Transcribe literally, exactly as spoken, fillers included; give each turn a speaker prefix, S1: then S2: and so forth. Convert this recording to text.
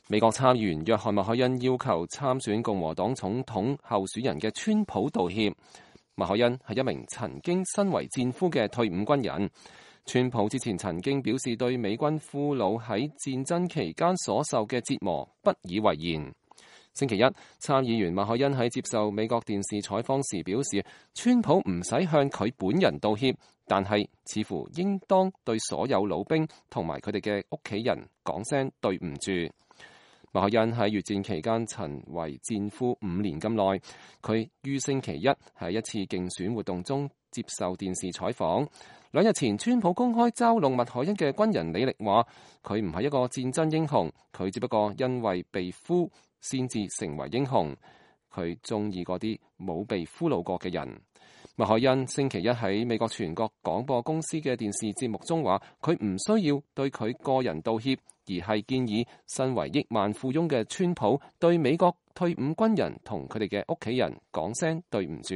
S1: 美國參議員約翰麥凱恩要求參選共和黨總統候選人嘅川普道歉。麥凱恩係一名曾經身為戰俘嘅退伍軍人。川普之前曾經表示對美軍俘虜喺戰爭期間所受嘅折磨不以為然。星期一，參議員麥凱恩喺接受美國電視採訪時表示，川普唔使向佢本人道歉，但係似乎應當對所有老兵同埋佢哋嘅屋企人講聲對唔住。麥凱恩喺越戰期間曾為戰俘五年咁耐，佢於星期一喺一次競選活動中接受電視採訪。兩日前，川普公開嘲弄麥凱恩嘅軍人李力話，佢唔係一個戰爭英雄，佢只不過因為被俘先至成為英雄。佢中意嗰啲冇被俘虜過嘅人。麥凱恩星期一喺美國全國廣播公司嘅電視節目中話，佢唔需要對佢個人道歉，而係建議身為億萬富翁嘅川普對美國退伍軍人同佢哋嘅屋企人講聲對唔住。